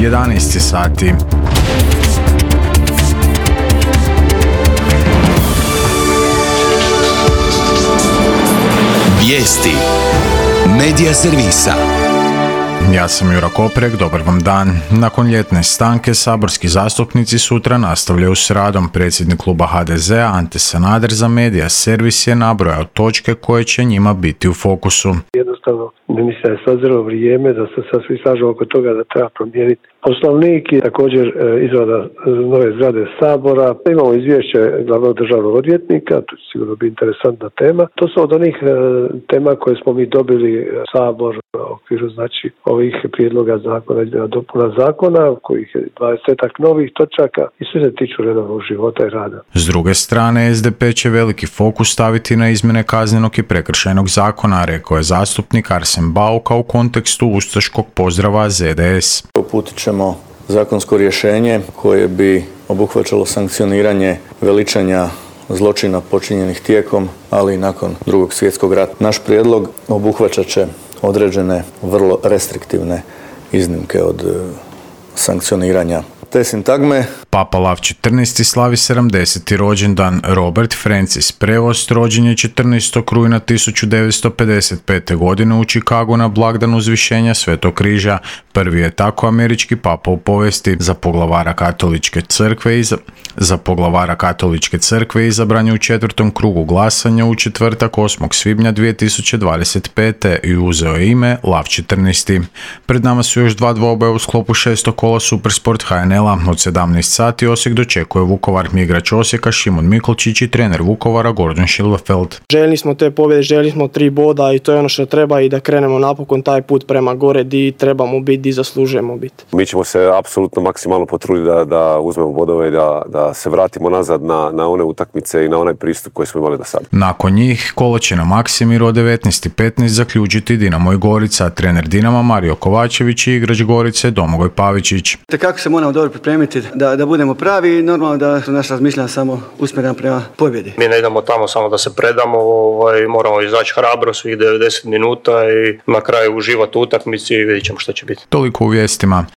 11 sati. Vijesti Medija servisa. Ja sam Jura Koprek, dobar vam dan. Nakon ljetne stanke saborski zastupnici sutra nastavljaju s radom. Predsjednik kluba HDZ-a Ante Sanader za Medija servis je nabrojao točke koje će njima biti u fokusu. Jednostavno, mislim da je sazrelo vrijeme da se sad svi slažu oko toga da treba promijeniti Poslovnik i također izrada nove zgrade Sabora. Imamo izvješće glavnog državnog odvjetnika, to će sigurno biti interesantna tema. To su od onih tema koje smo mi dobili Sabor u okviru ovih prijedloga zakona, dopuna zakona, kojih je 20-ak novih točaka i sve se tiču redovnog života i rada. S druge strane, SDP će veliki fokus staviti na izmjene kaznenog i prekršajnog zakona, rekao je zastupnik Arsen Bauk u kontekstu ustaškog pozdrava ZDS. Uputit ćemo zakonsko rješenje koje bi obuhvaćalo sankcioniranje veličanja zločina počinjenih tijekom, ali i nakon Drugog svjetskog rata. Naš prijedlog obuhvaćat će određene vrlo restriktivne iznimke od sankcioniranja te sintagme. Papa Lav XIV slavi 70. rođendan. Robert Francis Prevost rođen je 14. rujna 1955. godine u Chicagu na blagdan uzvišenja Svetog križa. Prvi je tako američki papa u povijesti. Za poglavara katoličke crkve izabran je u 4. krugu glasanja u četvrtak 8. svibnja 2025. i uzeo je ime Lav XIV. Pred nama su još dva dvoboja u sklopu 6. kola Supersport HNL-a. Od 17 sati Osijek dočekuje Vukovar. Igrač Osijeka Šimon Mikolčić i trener Vukovara Gordon Schillerfeld. Željeli smo te pobjede, željeli smo 3 boda i to je ono što treba i da krenemo napokon taj put prema gore di trebamo biti, di zaslužujemo biti. Mi ćemo se apsolutno maksimalno potruditi da uzmemo bodove i da se vratimo nazad na one utakmice i na onaj pristup koji smo imali do sada. Nakon njih kolo će na Maksimiru od 19:15 zaključiti Dinamo i Gorica. Trener Dinama Mario Kovačević i igrač Gorice Domagoj Pavičić. Kako se moramo dobro pripremiti da budemo pravi i normalno da su naša razmišljanja samo usmjerena prema pobjedi. Mi ne idemo tamo samo da se predamo, moramo izaći hrabro svih 90 minuta i na kraju uživati u utakmici i vidjet ćemo što će biti. Toliko u vijestima.